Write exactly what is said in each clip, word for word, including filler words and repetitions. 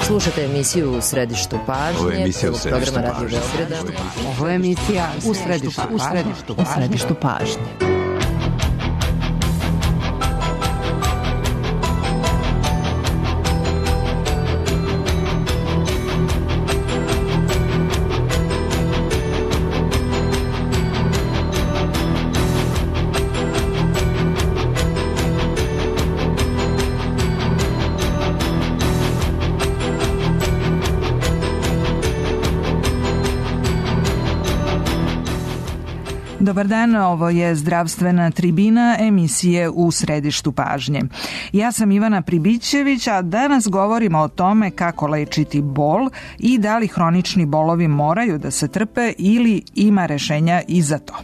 Slušate emisiju U središtu pažnje. Ovo je emisija U središtu pažnje. Ovo je emisija U središtu pažnje. U središtu pažnje. Dobar dan, ovo je Zdravstvena tribina emisije U središtu pažnje. Ja sam Ivana Pribićević, a danas govorimo o tome kako lečiti bol i da li hronični bolovi moraju da se trpe ili ima rešenja i za to.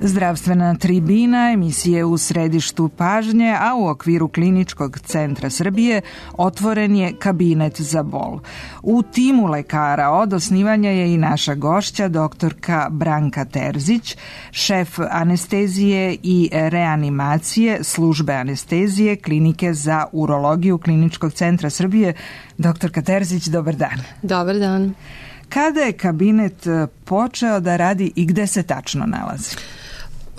Zdravstvena tribina emisije U središtu pažnje, a u okviru Kliničkog centra Srbije otvoren je kabinet za bol. U timu lekara od osnivanja je i naša gošća, doktorka Branka Terzić, šef anestezije i reanimacije službe anestezije Klinike za urologiju Kliničkog centra Srbije. Doktorka Terzić, dobar dan. Dobar dan. Kada je kabinet počeo da radi i gde se tačno nalazi?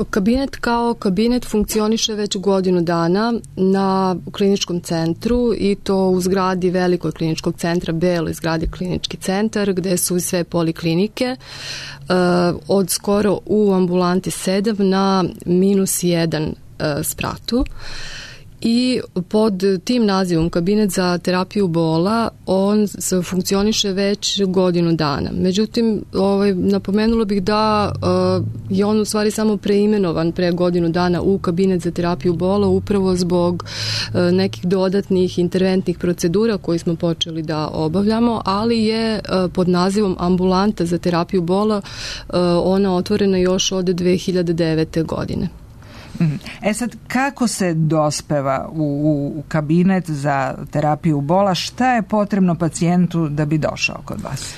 Kabinet kao kabinet funkcioniše već godinu dana na kliničkom centru i to u zgradi velikog kliničkog centra, beloj zgradi klinički centar, gde su sve poliklinike, od skoro u ambulanti sedam na minus jedan spratu. I pod tim nazivom kabinet za terapiju bola on funkcioniše već godinu dana. Međutim, ovaj, napomenula bih da uh, je on u stvari samo preimenovan pre godinu dana u kabinet za terapiju bola upravo zbog uh, nekih dodatnih interventnih procedura koje smo počeli da obavljamo, ali je uh, pod nazivom ambulanta za terapiju bola uh, ona otvorena još od dve hiljade devete. godine. E sad, kako se dospeva u, u kabinet za terapiju bola? Šta je potrebno pacijentu da bi došao kod vas?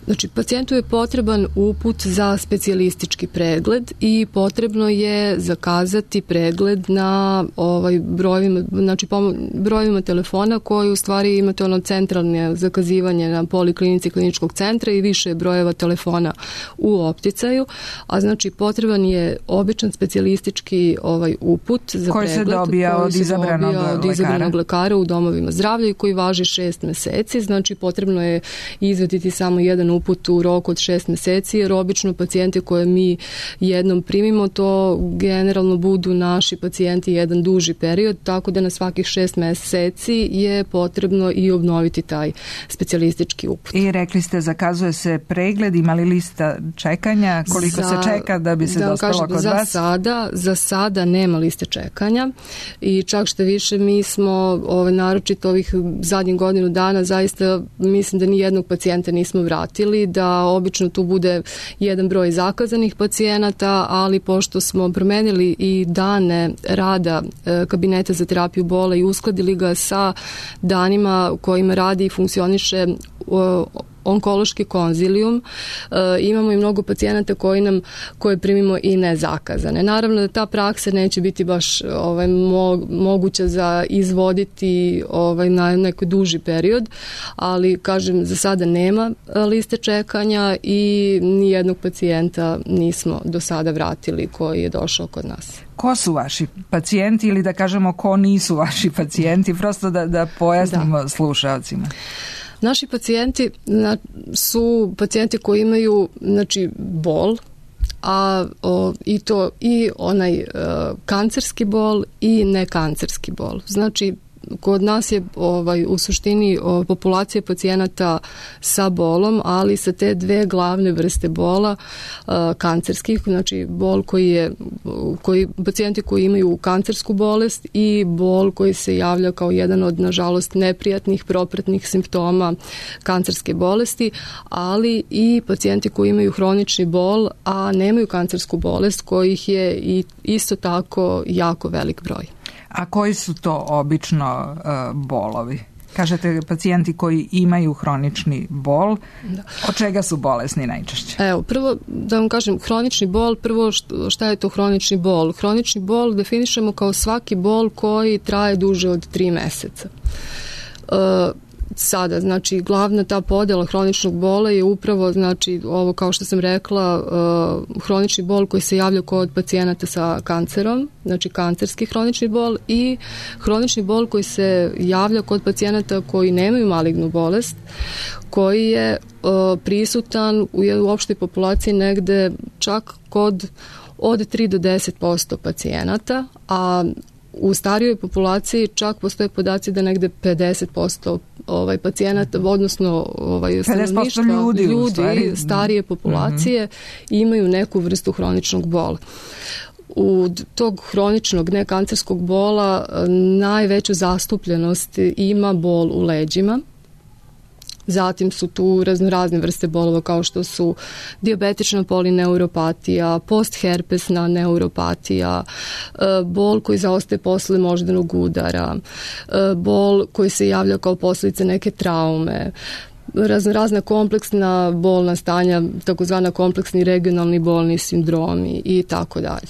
Znači, pacijentu je potreban uput za specijalistički pregled i potrebno je zakazati pregled na ovaj brojevima, znači brojevima telefona koji u stvari imate ono centralne zakazivanje na poliklinici kliničkog centra i više brojeva telefona u opticaju, a znači potreban je običan specijalistički ovaj uput za koji pregled se dobija koji od se izabranog dobija od izabranog lekara u domovima zdravlja i koji važi šest meseci, znači potrebno je izvaditi samo jedan uput u roku od šest meseci, jer obično pacijente koje mi jednom primimo, to generalno budu naši pacijenti jedan duži period, tako da na svakih šest meseci je potrebno i obnoviti taj specijalistički uput. I rekli ste, zakazuje se pregled, ima li lista čekanja, koliko za, se čeka da bi se da dospelo kod za vas? Sada, za sada nema liste čekanja i čak što više mi smo ove, naročito ovih zadnjih godinu dana zaista mislim da ni jednog pacijenta nismo vratili, da obično tu bude jedan broj zakazanih pacijenata, ali pošto smo promenili i dane rada e, kabineta za terapiju bola i uskladili ga sa danima kojima radi i funkcioniše o, onkološki konzilijum, imamo i mnogo pacijenata koji nam, koje primimo i nezakazane. Naravno da ta praksa neće biti baš ovaj, mo, moguća za izvoditi ovaj, na neki duži period, ali kažem, za sada nema liste čekanja i nijednog pacijenta nismo do sada vratili koji je došao kod nas. Ko su vaši pacijenti ili da kažemo ko nisu vaši pacijenti, prosto da, da pojasnimo da. slušalcima. Naši pacijenti su pacijenti koji imaju znači, bol, a o, i to i onaj o, kancerski bol i nekancerski bol. Znači, kod nas je ovaj, u suštini o, populacija pacijenata sa bolom, ali sa te dve glavne vrste bola a, kancerskih, znači bol koji je, koji, pacijenti koji imaju kancersku bolest i bol koji se javlja kao jedan od, nažalost, neprijatnih propratnih simptoma kancerske bolesti, ali i pacijenti koji imaju hronični bol, a nemaju kancersku bolest, kojih je i isto tako jako velik broj. A koji su to obično uh, bolovi? Kažete pacijenti koji imaju hronični bol, da. Od čega su bolesni najčešće? Evo, prvo da vam kažem, hronični bol, prvo šta je to hronični bol? Hronični bol definišemo kao svaki bol koji traje duže od tri meseca. Uh, Sada, znači, glavna ta podjela hroničnog bola je upravo, znači, ovo kao što sam rekla, uh, hronični bol koji se javlja kod pacijenata sa kancerom, znači kancerski hronični bol i hronični bol koji se javlja kod pacijenata koji nemaju malignu bolest, koji je uh, prisutan u, u opštoj populaciji negde čak kod od tri do deset posto pacijenata, a u starijoj populaciji čak postoje podaci da negde pedeset posto ovaj pacijenata, odnosno ovaj stanovništva, ljudi, ljudi starije populacije mm-hmm. imaju neku vrstu hroničnog bola. U tog hroničnog nekancerskog bola najveću zastupljenost ima bol u leđima. Zatim su tu raznorazne vrste bolova kao što su dijabetična polineuropatija, postherpesna neuropatija, bol koji zaostaje posle moždanog udara, bol koji se javlja kao posljedica neke traume, raznorazna kompleksna bolna stanja, takozvana kompleksni regionalni bolni sindromi i tako dalje.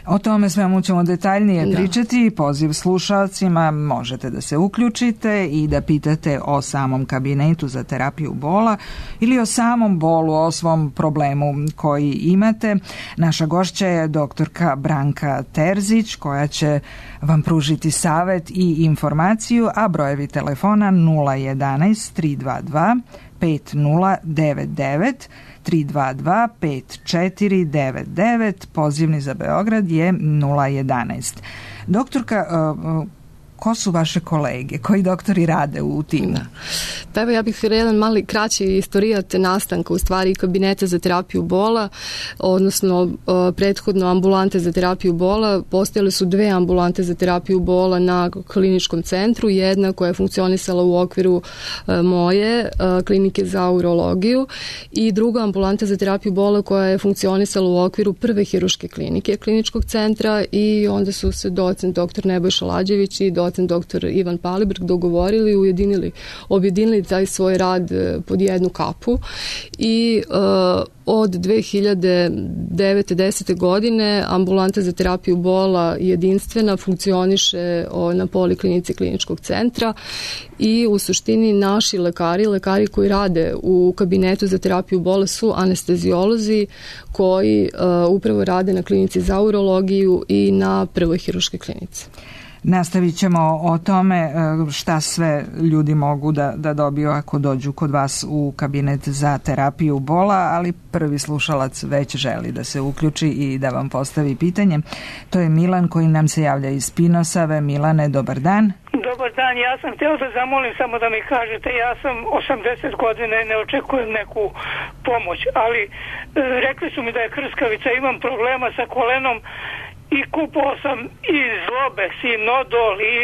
O tome svemu ćemo detaljnije da. pričati. Poziv slušalcima, možete da se uključite i da pitate o samom kabinetu za terapiju bola ili o samom bolu, o svom problemu koji imate. Naša gošća je doktorka Branka Terzić, koja će vam pružiti savet i informaciju, a brojevi telefona nula jedanaest tri dva dva pet nula devet devet tri dva dva pet četiri devet devet, pozivni za Beograd je nula jedanaest. Doktorka, ko su vaše kolege? Koji doktori rade u timu? Da. Pa evo, ja bih jedan mali kraći istorijat nastanka u stvari kabineta za terapiju bola, odnosno uh, prethodno ambulante za terapiju bola. Postojale su dve ambulante za terapiju bola na kliničkom centru, jedna koja je funkcionisala u okviru uh, moje uh, klinike za urologiju i druga ambulanta za terapiju bola koja je funkcionisala u okviru prve hiruške klinike kliničkog centra i onda su se docent doktor Nebojša Lađević i docent doktor Ivan Palibrg dogovorili, ujedinili, objedinili taj svoj rad pod jednu kapu i uh, od dve hiljade devete desete godine ambulanta za terapiju bola jedinstvena funkcioniše o, na poliklinici kliničkog centra i u suštini naši lekari, lekari koji rade u kabinetu za terapiju bola su anesteziolozi koji uh, upravo rade na klinici za urologiju i na prvoj hiruškoj klinici. Nastavit ćemo o tome šta sve ljudi mogu da, da dobiju ako dođu kod vas u kabinet za terapiju bola, ali prvi slušalac već želi da se uključi i da vam postavi pitanje. To je Milan koji nam se javlja iz Spinosave. Milane, dobar dan. Dobar dan, ja sam htio da zamolim samo da mi kažete, ja sam osamdeset godina i ne očekujem neku pomoć, ali e, rekli su mi da je krskavica, imam problema sa kolenom i kupao sam i zlobe, i nodol i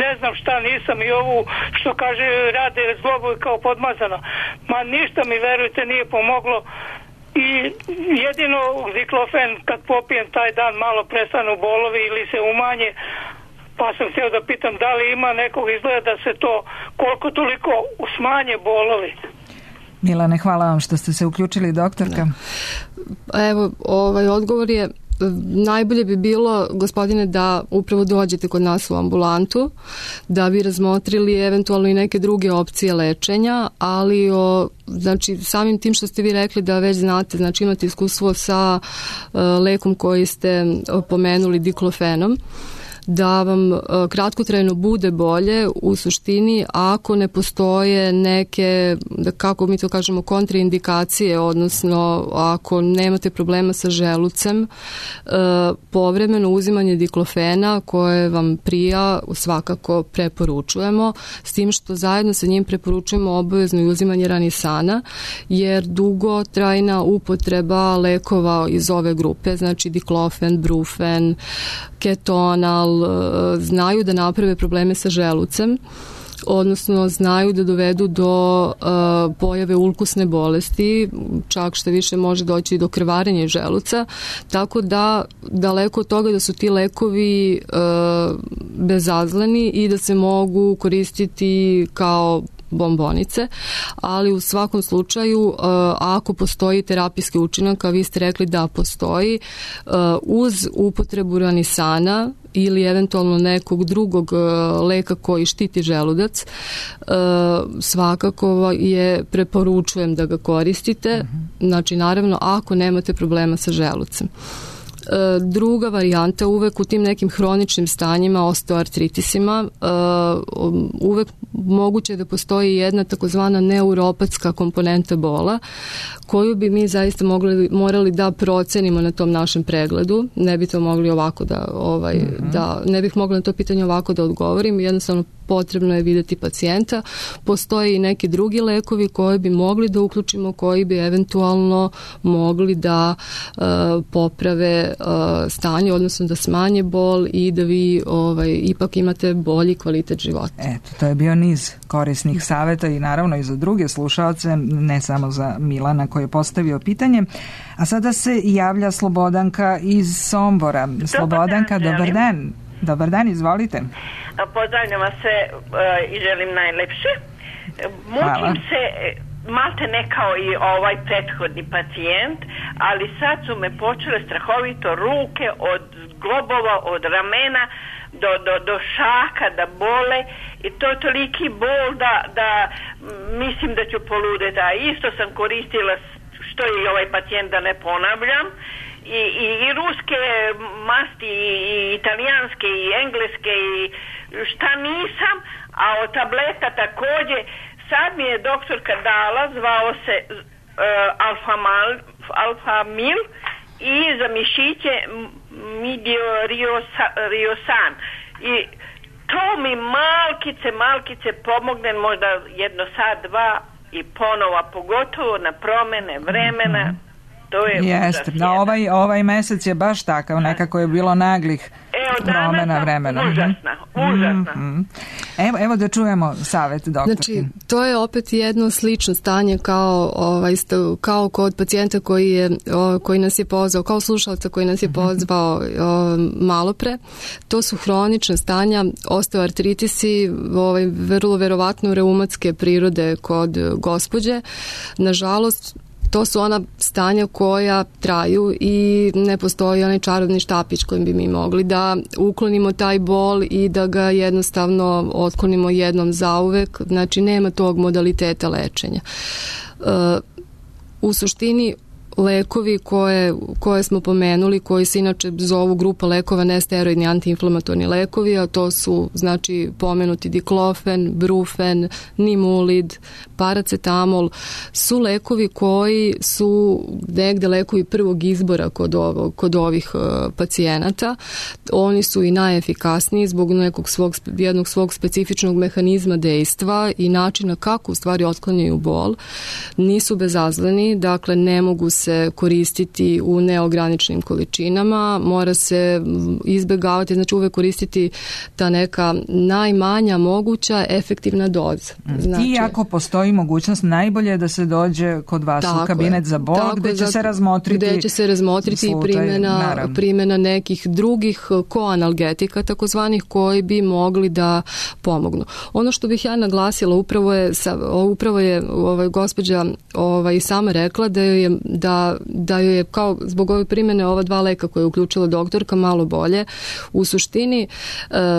ne znam šta, nisam i ovu što kaže rade zlobu kao podmazano. Ma ništa mi, verujte, nije pomoglo i jedino diklofen kad popijem taj dan malo prestanu bolovi ili se umanje, pa sam htio da pitam da li ima nekog izgleda da se to koliko toliko smanje bolovi. Milane, hvala vam što ste se uključili, doktorka. Da. Evo, ovaj odgovor je najbolje bi bilo, gospodine, da upravo dođete kod nas u ambulantu, da bi razmotrili eventualno i neke druge opcije lečenja, ali o, znači, samim tim što ste vi rekli da već znate, znači imate iskustvo sa uh, lekom koji ste pomenuli, diklofenom, da vam kratkotrajno bude bolje u suštini ako ne postoje neke, da kako mi to kažemo, kontraindikacije, odnosno ako nemate problema sa želucem, povremeno uzimanje diklofena koje vam prija svakako preporučujemo, s tim što zajedno sa njim preporučujemo obavezno i uzimanje ranisana, jer dugotrajna upotreba lekova iz ove grupe, znači diklofen, brufen, ketonal, znaju da naprave probleme sa želucem, odnosno znaju da dovedu do uh, pojave ulkusne bolesti, čak što više može doći do krvarenja želuca, tako da daleko od toga da su ti lekovi uh, bezazleni i da se mogu koristiti kao bombonice, ali u svakom slučaju uh, ako postoji terapijski učinak, a vi ste rekli da postoji, uh, uz upotrebu ranisana ili eventualno nekog drugog uh, leka koji štiti želudac, uh, svakako je preporučujem da ga koristite, mm-hmm. znači naravno ako nemate problema sa želucem. Druga varijanta, uvek u tim nekim hroničnim stanjima, osteoartritisima, uvek moguće da postoji jedna takozvana neuropatska komponenta bola, koju bi mi zaista mogli, morali da procenimo na tom našem pregledu. Ne bi to mogli ovako da, ovaj, mm-hmm. da, ne bih mogla na to pitanje ovako da odgovorim, jednostavno potrebno je videti pacijenta. Postoje i neki drugi lekovi koje bi mogli da uključimo, koji bi eventualno mogli da uh, poprave uh, stanje, odnosno da smanje bol i da vi ovaj, ipak imate bolji kvalitet života. Eto, to je bio niz korisnih saveta i naravno i za druge slušaoce, ne samo za Milana koji je postavio pitanje. A sada se javlja Slobodanka iz Sombora. Slobodanka, dobar dan. Dobar dan, izvolite. Pozdravljam vas se uh, i želim najlepše. Mučim se malte ne kao i ovaj prethodni pacijent, ali sad su me počele strahovito ruke od globova, od ramena do, do, do šaka da bole i to je toliki bol da, da mislim da ću poludeti. A isto sam koristila što je i ovaj pacijent, da ne ponavljam, I, i, i ruske masti, i, i italijanske, i engleske, i šta nisam, a od tableta takođe. Sad mi je doktorka dala, zvao se uh, Alfamal, Alfamil i za mišiće Midioriosan. I to mi malkice, malkice pomogne, možda jedno sat, dva i ponova, pogotovo na promene vremena. To je Jeste, da, ovaj, ovaj mesec je baš takav, nekako je bilo naglih promena vremena. Užasna, užasna. Mm-hmm. Evo, evo da čujemo savet doktorki. Znači, to je opet jedno slično stanje kao, ovaj, kao kod pacijenta koji, je, koji nas je pozvao, kao slušalca koji nas je pozvao mm-hmm. malo pre. To su hronična stanja, osteoartritisi, ovaj, vrlo verovatno reumatske prirode kod gospođe. Nažalost, to su ona stanja koja traju i ne postoji onaj čarobni štapić kojim bi mi mogli da uklonimo taj bol i da ga jednostavno otklonimo jednom zauvek. Znači, nema tog modaliteta lečenja. U suštini, lekovi koje, koje smo pomenuli, koji se inače zovu grupa lekova nesteroidni antiinflamatorni lekovi, a to su znači pomenuti diklofen, brufen, nimulid, paracetamol, su lekovi koji su negde lekovi prvog izbora kod, ovo, kod ovih uh, pacijenata. Oni su i najefikasniji zbog nekog svog, jednog svog specifičnog mehanizma dejstva i načina kako u stvari otklanjaju bol. Nisu bezazleni, dakle ne mogu se se koristiti u neograničenim količinama, mora se izbegavati, znači uvek koristiti ta neka najmanja moguća efektivna doza. Znači, i ako postoji mogućnost, najbolje je da se dođe kod vas u kabinet za bol, gde će se razmotriti gde će se razmotriti i primjena, primjena nekih drugih koanalgetika, takozvanih, koji bi mogli da pomognu. Ono što bih ja naglasila, upravo je, upravo je ovaj, gospođa ovaj, sama rekla da joj je, da, da joj je kao zbog ove primjene ova dva leka koje je uključila doktorka malo bolje. U suštini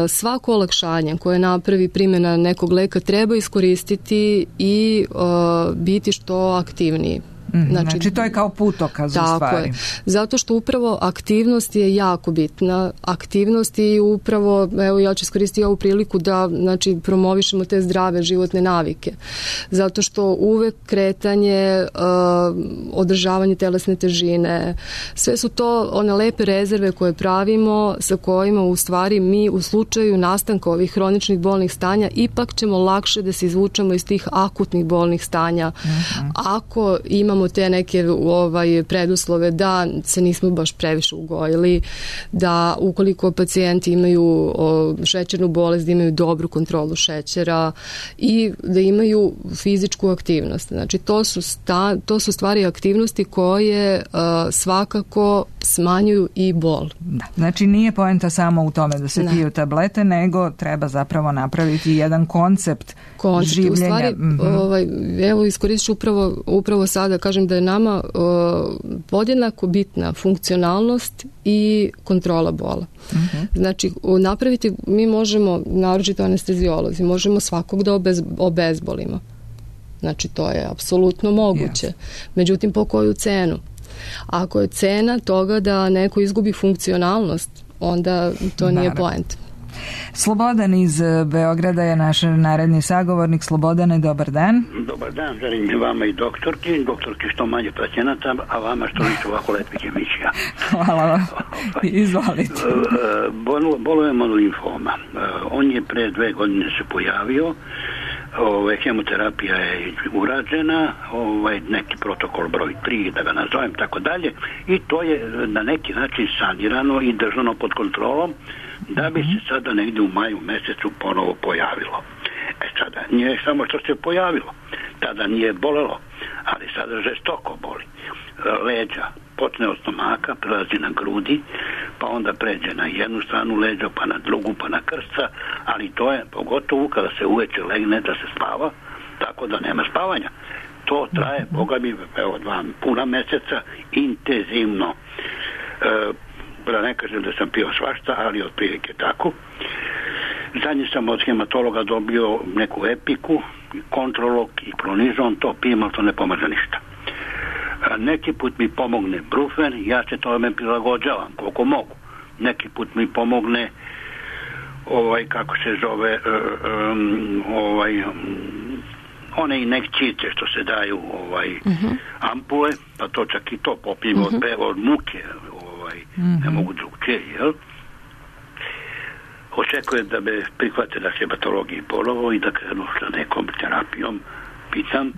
svako olakšanje koje napravi primjena nekog leka treba iskoristiti i uh, biti što aktivniji. Znači, znači to je kao putokaz u stvari. Je. Zato što upravo aktivnost je jako bitna. Aktivnost i upravo, evo ja ću iskoristiti ovu priliku da znači, promovišemo te zdrave životne navike. Zato što uvek kretanje, uh, održavanje telesne težine, sve su to one lepe rezerve koje pravimo, sa kojima u stvari mi u slučaju nastanka ovih hroničnih bolnih stanja ipak ćemo lakše da se izvučemo iz tih akutnih bolnih stanja. Mm-hmm. Ako imamo te neke ovaj, preduslove da se nismo baš previše ugojili, da ukoliko pacijenti imaju o, šećernu bolest, da imaju dobru kontrolu šećera i da imaju fizičku aktivnost. Znači, to su, sta, to su stvari aktivnosti koje a, svakako smanjuju i bol. Da. Znači, nije poenta samo u tome da se piju tablete, nego treba zapravo napraviti jedan koncept, koncept življenja. U stvari, mm-hmm. ovaj, evo, iskoristit ću upravo, upravo sada, kažem da je nama uh, podjednako bitna funkcionalnost i kontrola bola. Uh-huh. Znači, napraviti, mi možemo, naročito anestezijolozi, možemo svakog da obez, obezbolimo. Znači, to je apsolutno moguće. Yes. Međutim, po koju cenu? Ako je cena toga da neko izgubi funkcionalnost, onda to Naravno. Nije poent. Slobodan iz Beograda je naš naredni sagovornik. Slobodane, dobar dan. Dobar dan, želim vama i doktorki, doktorki što manje pacijenata, a vama što više ovako lepih emisija. Hvala vam. Izvolite. Bolujem od limfoma. On je pre dve godine se pojavio. Ove, hemoterapija je urađena, ovaj, neki protokol broj tri, da ga nazovem, tako dalje, i to je na neki način sanirano i držano pod kontrolom, da bi se sada negdje u maju mesecu ponovo pojavilo. E sada, nije samo što se pojavilo, tada nije bolelo, ali sada žestoko boli. Leđa počne od stomaka, prelazi na grudi, pa onda pređe na jednu stranu leđa, pa na drugu, pa na krsta, ali to je pogotovo kada se uveče legne da se spava, tako da nema spavanja. To traje, boga mi, evo dva puna meseca, intenzivno. E, da ne kažem da sam pio svašta, ali otprilike tako. Zadnji sam od hematologa dobio neku epiku, kontrolog i klonizon, to pijem, ali to ne pomaže ništa. Neki put mi pomogne brufen, ja se tome prilagođavam koliko mogu. Neki put mi pomogne ovaj, kako se zove um, ovaj um, one injekcije što se daju ovaj, uh-huh. ampule, pa to čak i to popijem uh-huh. od, od muke, ovaj, uh-huh. ne mogu drugčije, jel? Očekujem da me prihvate na hematologiji ponovo i da krenu sa nekom terapijom, pitam.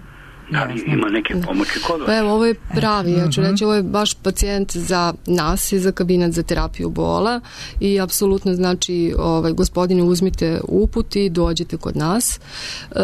Da li ima neke pomoći kod vas? Pa evo, ovo je pravi, ja ću reći, ovo je baš pacijent za nas i za kabinet za terapiju bola i apsolutno znači, ovaj, gospodine, uzmite uput i dođite kod nas. E,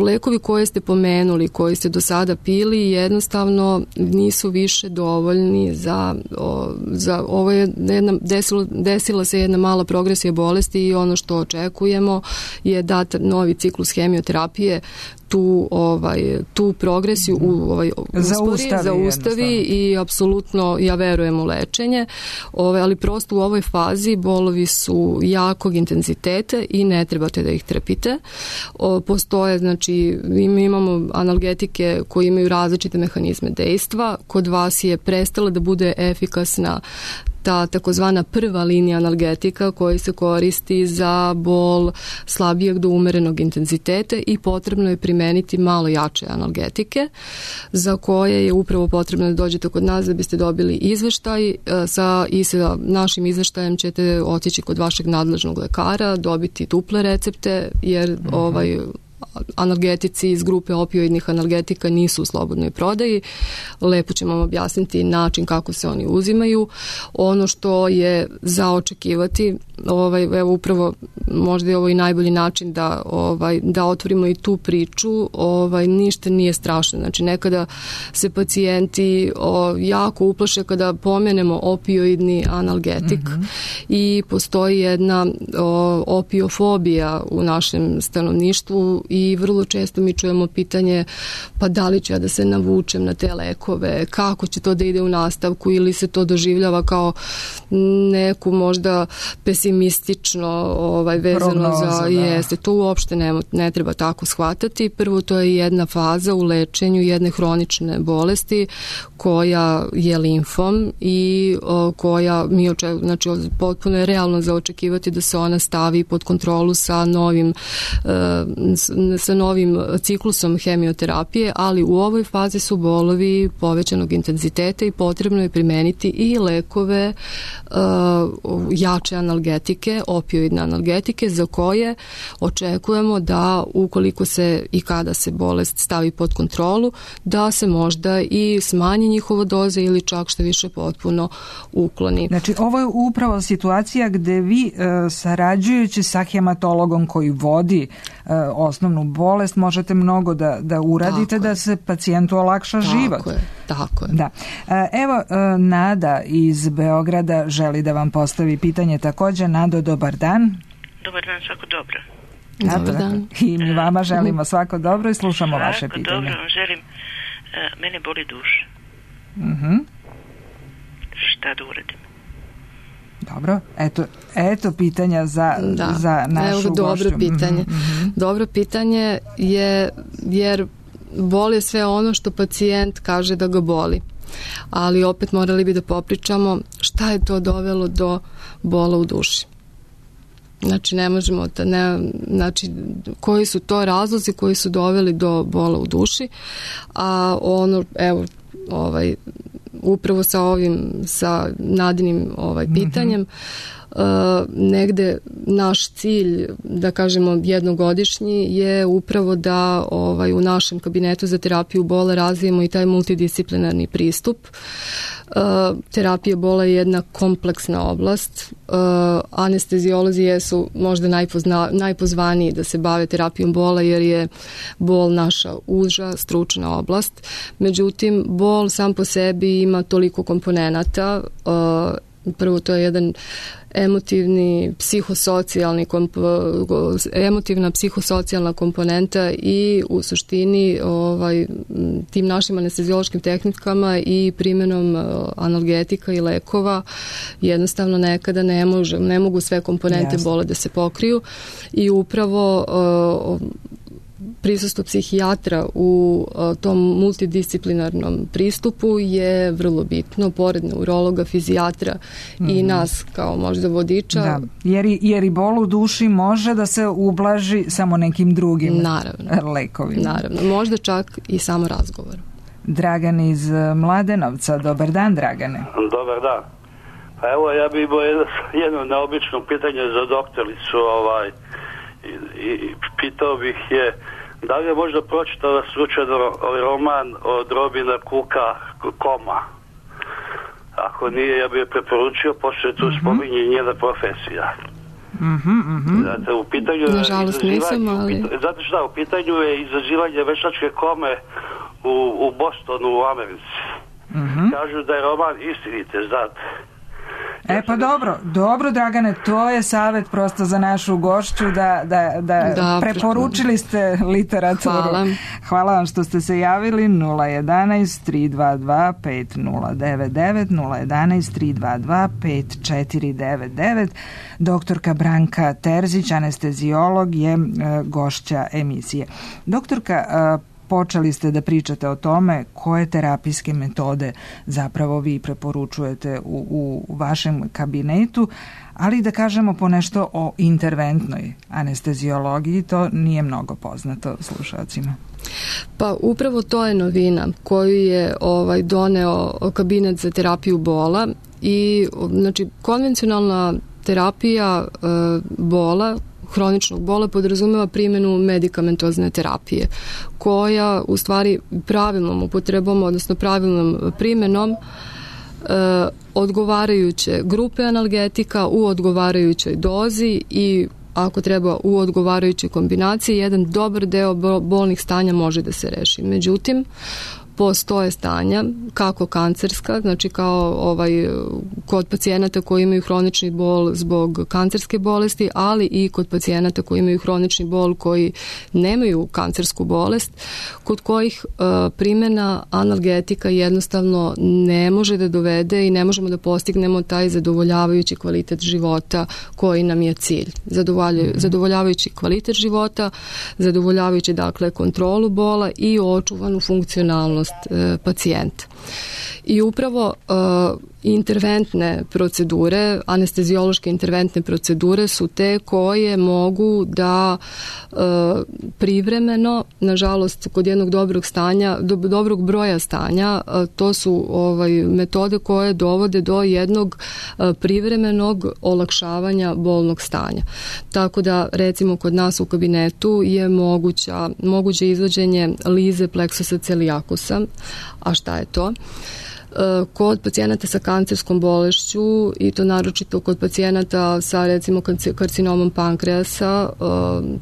lekovi koje ste pomenuli, koji ste do sada pili, jednostavno nisu više dovoljni za, o, za ovo je jedna, desilo, desila se jedna mala progresija bolesti i ono što očekujemo je da novi ciklus hemioterapije tu ovaj tu progresiju u ovaj zaustavi, zaustavi i apsolutno ja verujem u lečenje. Ovaj ali prosto u ovoj fazi bolovi su jakog intenziteta i ne trebate da ih trpite. O, postoje znači mi imamo analgetike koji imaju različite mehanizme dejstva. Kod vas je prestala da bude efikasna ta takozvana prva linija analgetika koji se koristi za bol slabijeg do umerenog intenziteta i potrebno je primeniti malo jače analgetike za koje je upravo potrebno da dođete kod nas da biste dobili izveštaj sa, i sa našim izveštajem ćete otići kod vašeg nadležnog lekara, dobiti duple recepte jer uh-huh. ovaj analgetici iz grupe opioidnih analgetika nisu u slobodnoj prodaji. Lepo ćemo vam objasniti način kako se oni uzimaju. Ono što je za očekivati, ovaj, evo upravo možda je ovo i najbolji način da, ovaj, da otvorimo i tu priču, ovaj, ništa nije strašno. Znači nekada se pacijenti o, jako uplaše kada pomenemo opioidni analgetik mm-hmm. i postoji jedna o, opiofobija u našem stanovništvu i vrlo često mi čujemo pitanje pa da li ću ja da se navučem na te lekove, kako će to da ide u nastavku ili se to doživljava kao neku možda pesimistično ovaj, vezano Prognoza, za da. jeste. To uopšte ne, ne treba tako shvatati. Prvo to je jedna faza u lečenju jedne hronične bolesti koja je limfom i o, koja mi očekujemo, znači potpuno je realno za očekivati da se ona stavi pod kontrolu sa novim e, sa novim ciklusom hemioterapije, ali u ovoj fazi su bolovi povećanog intenziteta i potrebno je primeniti i lekove e, jače analgetike, opioidne analgetike za koje očekujemo da ukoliko se i kada se bolest stavi pod kontrolu, da se možda i smanji njihova doza ili čak što više potpuno ukloni. Znači ovo je upravo situacija gde vi e, sarađujući sa hematologom koji vodi e, osnovnu bolest možete mnogo da, da uradite tako da je. Se pacijentu olakša tako život. Je, tako je. Da. E, evo e, Nada iz Beograda želi da vam postavi pitanje takođe. Nado, dobar dan. Dobar dan, svako dobro. Dobar dan. I mi vama želimo svako dobro i slušamo svako vaše pitanje. Dobro, želim. Uh, mene boli duša. Mhm. Šta da uradim? Dobro, eto, eto pitanja za, da. za našu Evo, dobro gošću. pitanje. Mm-hmm. Dobro pitanje je jer boli sve ono što pacijent kaže da ga boli. Ali opet morali bi da popričamo šta je to dovelo do bola u duši. Znači ne možemo da ne, znači koji su to razlozi koji su doveli do bola u duši, a ono evo ovaj upravo sa ovim sa Nadinim ovaj pitanjem mm-hmm. Uh, negde naš cilj, da kažemo jednogodišnji, je upravo da ovaj, u našem kabinetu za terapiju bola razvijemo i taj multidisciplinarni pristup. Uh, terapija bola je jedna kompleksna oblast. Uh, anesteziolozi jesu možda najpozna, najpozvaniji da se bave terapijom bola jer je bol naša uža stručna oblast. Međutim, bol sam po sebi ima toliko komponenata. Uh, prvo to je jedan emotivni, psihosocijalni komp, emotivna psihosocijalna komponenta i u suštini ovaj, tim našim anesteziološkim tehnikama i primjenom analgetika i lekova jednostavno nekada ne, može, ne mogu sve komponente Jasne. Bole da se pokriju i upravo uh, prisustvo psihijatra u uh, tom multidisciplinarnom pristupu je vrlo bitno, pored neurologa, fizijatra mm. i nas kao možda vodiča. Da. Jer, jer i bol u duši može da se ublaži samo nekim drugim naravno, lekovima. Naravno, možda čak i samo razgovor. Dragan iz Mladenovca, dobar dan Dragane. Dobar dan. Pa evo ja bih imao jedno, jedno neobično pitanje za doktoricu ovaj, i, i pitao bih je da li je možda pročitala slučajno ovaj roman od Robina Cooka Koma. Ako nije, ja bih je preporučio, pošto je tu mm-hmm. spominje njena profesija. Mhm, mhm. Znate, u pitanju je nažalost nisam, ali... Znate šta, u pitanju je izazivanje veštačke kome u, u Bostonu u Americi. Mm-hmm. Kažu da je roman istinite, znate. E pa dobro, dobro Dragane, to je savjet prosto za našu gošću da, da, da, da preporučili ste literaturu. Hvala. Hvala vam što ste se javili. Nula jedanaest tri dva dva pet nula devet devet, nula jedanaest tri dva dva pet četiri devet devet. Doktorka Branka Terzić, anesteziolog, je e, gošća emisije. Doktorka, e, počeli ste da pričate o tome koje terapijske metode zapravo vi preporučujete u, u vašem kabinetu, ali da kažemo ponešto o interventnoj anesteziologiji, to nije mnogo poznato slušalcima. Pa upravo to je novina koju je ovaj doneo kabinet za terapiju bola i znači konvencionalna terapija e, bola hroničnog bola podrazumeva primjenu medikamentozne terapije, koja u stvari pravilnom upotrebom, odnosno pravilnom primjenom e, odgovarajuće grupe analgetika u odgovarajućoj dozi i ako treba u odgovarajućoj kombinaciji, jedan dobar deo bolnih stanja može da se reši. Međutim, postoje stanja kako kancerska, znači kao ovaj kod pacijenata koji imaju hronični bol zbog kancerske bolesti, ali i kod pacijenata koji imaju hronični bol koji nemaju kancersku bolest, kod kojih uh, primjena analgetika jednostavno ne može da dovede i ne možemo da postignemo taj zadovoljavajući kvalitet života koji nam je cilj. Zadovoljavajući, zadovoljavajući kvalitet života, zadovoljavajući dakle kontrolu bola i očuvanu funkcionalnost pacijenta. I upravo uh, interventne procedure, anesteziološke interventne procedure su te koje mogu da uh, privremeno, nažalost kod jednog dobrog stanja, do, dobrog broja stanja, uh, to su ovaj, metode koje dovode do jednog uh, privremenog olakšavanja bolnog stanja. Tako da recimo kod nas u kabinetu je moguća, moguće izvođenje lize pleksusa celiacusa. A šta je to? Kod pacijenata sa kancerskom bolešću i to naročito kod pacijenata sa recimo karcinomom pankreasa,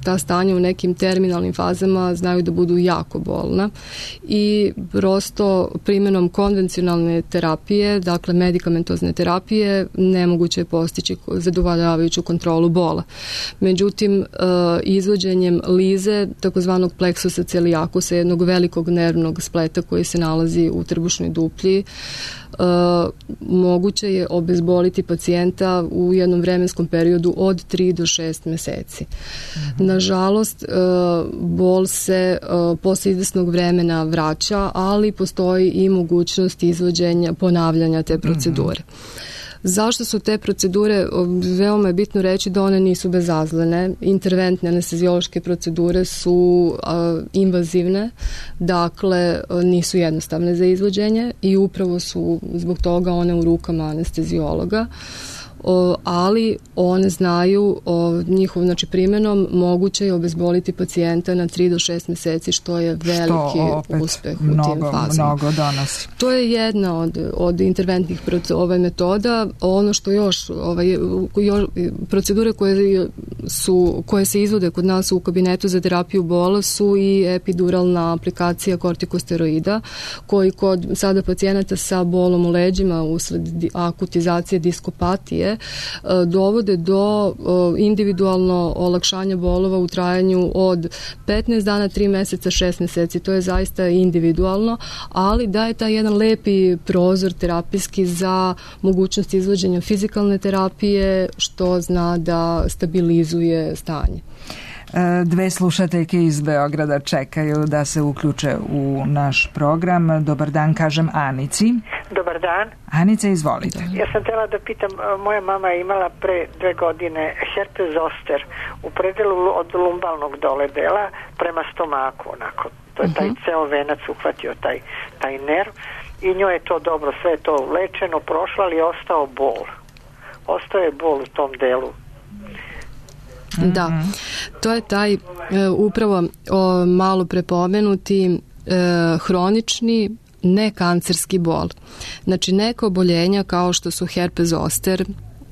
ta stanja u nekim terminalnim fazama znaju da budu jako bolna i prosto primjenom konvencionalne terapije, dakle medikamentozne terapije, nemoguće je postići zadovoljavajuću kontrolu bola. Međutim, izvođenjem lize, takozvanog pleksusa celiacusa, jednog velikog nervnog spleta koji se nalazi u trbušnoj duplji, Uh, moguće je obezboliti pacijenta u jednom vremenskom periodu od tri do šest meseci. Mm-hmm. Nažalost, uh, bol se uh, posle izvesnog vremena vraća, ali postoji i mogućnost izvođenja, ponavljanja te procedure. Mm-hmm. Zašto su te procedure, veoma je bitno reći da one nisu bezazlene. Interventne anesteziološke procedure su a, invazivne, dakle nisu jednostavne za izvođenje i upravo su zbog toga one u rukama anesteziologa. O, ali one znaju o njihovom znači, primjenom moguće je obezboliti pacijenta na tri do šest meseci, što je veliki što uspeh mnogo, u tim fazama. Mnogo donosi. To je jedna od, od interventnih ovaj, metoda. Ono što još, ovaj, još procedure koje, su, koje se izvode kod nas u kabinetu za terapiju bola su i epiduralna aplikacija kortikosteroida, koji kod sada pacijenata sa bolom u leđima usled akutizacije diskopatije dovode do individualno olakšanja bolova u trajanju od petnaest dana, tri meseca, šest meseci. To je zaista individualno, ali daje taj jedan lepi prozor terapijski za mogućnost izvođenja fizikalne terapije, što zna da stabilizuje stanje. Dve slušateljke iz Beograda čekaju da se uključe u naš program. Dobar dan, kažem Anici. Dobar dan. Anica, izvolite. Ja sam htjela da pitam, moja mama je imala pre dve godine herpes zoster u predelu od lumbalnog dole dela prema stomaku, onako. To je taj uh-huh. ceo venac uhvatio taj, taj nerv i njoj je to dobro, sve je to lečeno, prošlo, ali je ostao bol. Ostao je bol u tom delu. Da, to je taj e, upravo o, malo prepomenuti e, hronični nekancerski bol. Znači neka oboljenja kao što su herpes zoster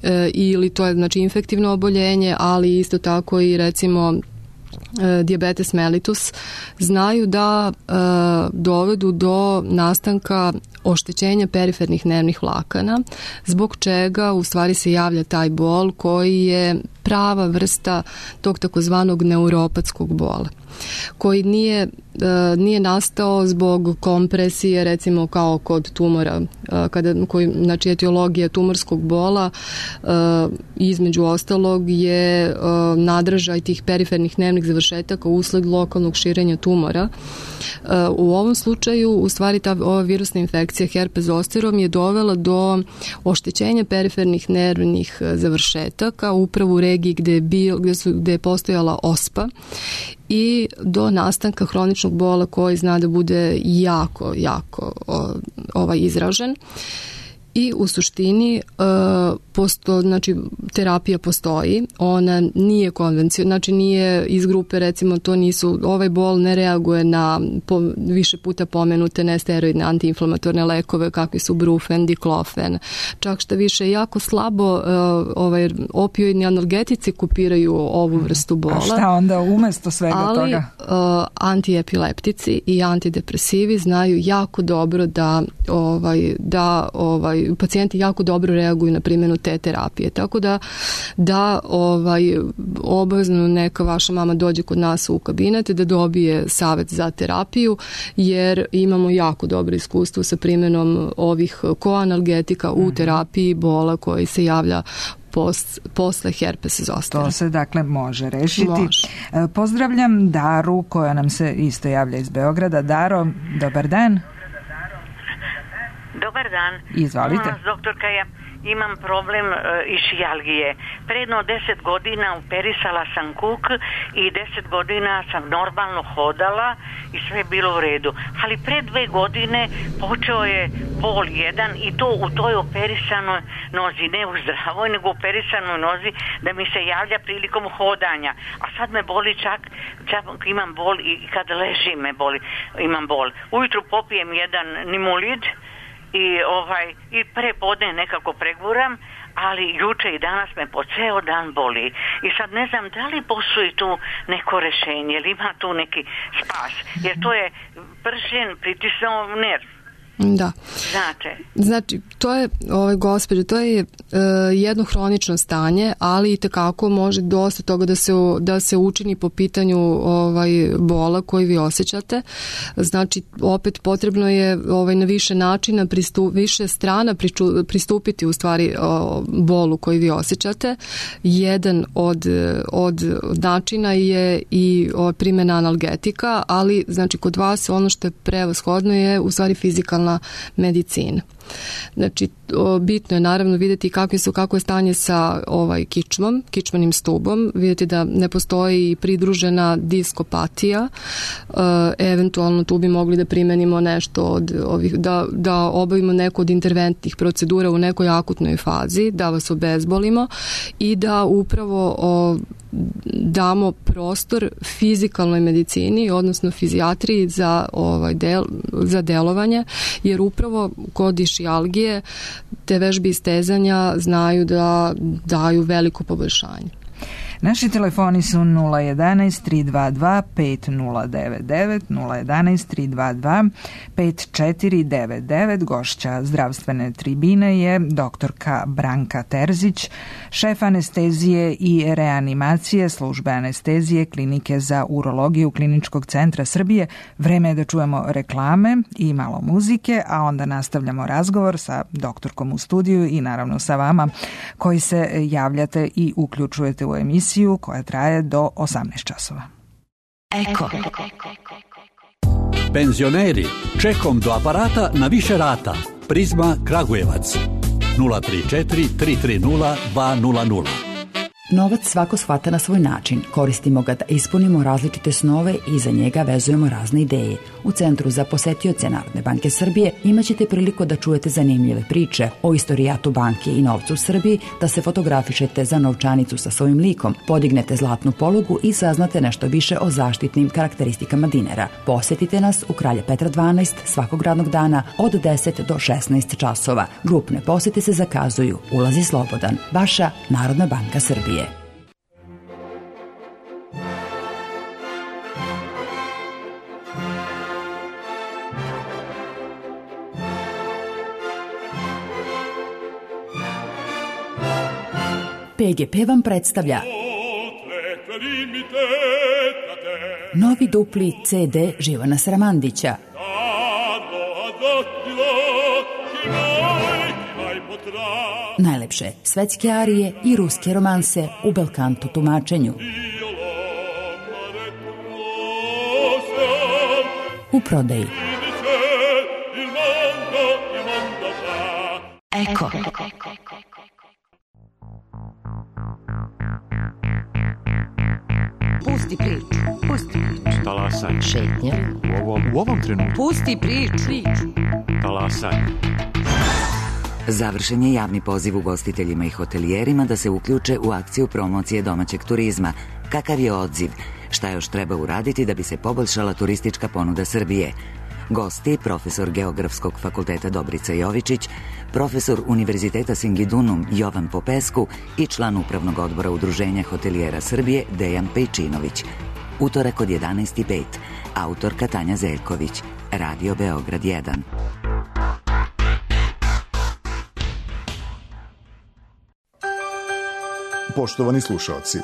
e, ili to je znači infektivno oboljenje, ali isto tako i recimo e, dijabetes mellitus znaju da e, dovedu do nastanka oštećenja perifernih nervnih vlakana, zbog čega u stvari se javlja taj bol koji je prava vrsta tog takozvanog neuropatskog bola, koji nije, e, nije nastao zbog kompresije, recimo kao kod tumora, e, kada, koji, znači etiologija tumorskog bola e, između ostalog je e, nadražaj tih perifernih nervnih završetaka usled lokalnog širenja tumora. E, u ovom slučaju, u stvari, ta ova virusna infekcija herpes zosterom je dovela do oštećenja perifernih nervnih završetaka upravo u regiji gde je, bil, gde su, gde je postojala ospa i do nastanka hroničnog bola koji zna da bude jako, jako o, ovaj izražen. i u suštini uh, posto, znači, terapija postoji, ona nije konvencionalna, znači nije iz grupe, recimo, to nisu, ovaj bol ne reaguje na po, više puta pomenute nesteroidne antiinflamatorne lekove kakvi su brufen, diklofen, čak što više jako slabo uh, ovaj, opioidni analgetici kopiraju ovu vrstu bola. A šta onda umesto svega ali, toga? Ali uh, antiepileptici i antidepresivi znaju jako dobro da, ovaj, da ovaj, pacijenti jako dobro reaguju na primjenu te terapije. Tako da, da ovaj, obavezno neka vaša mama dođe kod nas u kabinet da dobije savjet za terapiju, jer imamo jako dobro iskustvo sa primjenom ovih koanalgetika u terapiji bola koji se javlja Post, posle herpes zostera. To se dakle može rešiti. Može. Pozdravljam Daru koja nam se isto javlja iz Beograda. Daro, dobar dan. Dobar dan. Izvolite. Doktorka, ja imam problem e, išijalgije. Predno deset godina operisala sam kuk i deset godina sam normalno hodala i sve je bilo u redu. Ali pre dve godine počeo je bol jedan i to u toj operisanoj nozi, ne u zdravoj, nego u operisanoj nozi, da mi se javlja prilikom hodanja. A sad me boli čak, čak imam bol i kad ležim me boli, imam bol. Ujutru popijem jedan nimulid i ovaj i prepodne nekako preguram, ali juče i danas me po ceo dan boli. I sad ne znam da li postoji tu neko rešenje, ili ima tu neki spas, jer to je pršen pritisnuo nerv. Da. Znate. Znači, to je, ovaj, gospođo, to je uh, jedno hronično stanje, ali i tekako može dosta toga da se, da se učini po pitanju ovaj, bola koji vi osjećate. Znači, opet potrebno je ovaj, na više načina, pristup, više strana priču, pristupiti u stvari o, bolu koji vi osjećate. Jedan od, od načina je i o, primjena analgetika, ali znači kod vas ono što je prevashodno je u stvari fizikalna medicina. Znači, bitno je naravno vidjeti kakve su, kako je stanje sa ovaj kičmom, kičmenim stubom, vidjeti da ne postoji pridružena diskopatija, e, eventualno tu bi mogli da primenimo nešto od ovih, da, da obavimo neku od interventnih procedura u nekoj akutnoj fazi, da vas obezbolimo i da upravo o, damo prostor fizikalnoj medicini, odnosno fizijatriji za, ovaj del, za delovanje, jer upravo kod išijalgije te vežbe istezanja znaju da daju veliko poboljšanje. Naši telefoni su nula jedanaest tri dva dva pet nula devet devet, nula jedanaest tri dva dva pet četiri devet devet. Gošća zdravstvene tribine je doktorka Branka Terzić, šef anestezije i reanimacije službe anestezije Klinike za urologiju Kliničkog centra Srbije. Vreme je da čujemo reklame i malo muzike, a onda nastavljamo razgovor sa doktorkom u studiju i naravno sa vama koji se javljate i uključujete u emisiju koja traje do osamnaest časova. Eko. Penzioneri, čekom do aparata na više rata. Prizma Kragujevac. nula tri četiri tri tri nula dva nula nula. Novac svako shvata na svoj način. Koristimo ga da ispunimo različite snove i za njega vezujemo razne ideje. U Centru za posetioce Narodne banke Srbije imaćete priliku da čujete zanimljive priče o istorijatu banke i novcu u Srbiji, da se fotografišete za novčanicu sa svojim likom, podignete zlatnu polugu i saznate nešto više o zaštitnim karakteristikama dinara. Posetite nas u Kralja Petra dvanaest svakog radnog dana od deset do šesnaest časova. Grupne posete se zakazuju. Ulaz je slobodan. Vaša Narodna banka Srbije. P G P vam predstavlja novi dupli C D Živana Sramandića. Najlepše svetske arije i ruske romanse u belkanto tumačenju. U prodaji. Eko. Pusti priču, pusti priču. Talasaj. Šetnja. U ovom, u ovom trenutku. Pusti priču. Talasaj. Završen je javni poziv ugostiteljima i hotelijerima da se uključe u akciju promocije domaćeg turizma. Kakav je odziv? Šta još treba uraditi da bi se poboljšala turistička ponuda Srbije? Gosti, profesor Geografskog fakulteta Dobrica Jovičić, profesor Univerziteta Singidunum Jovan Popesku i član Upravnog odbora Udruženja hotelijera Srbije Dejan Pejčinović. Utorak od jedanaest i pet. Autorka Tanja Zeljković. Radio Beograd jedan. Poštovani slušaoci,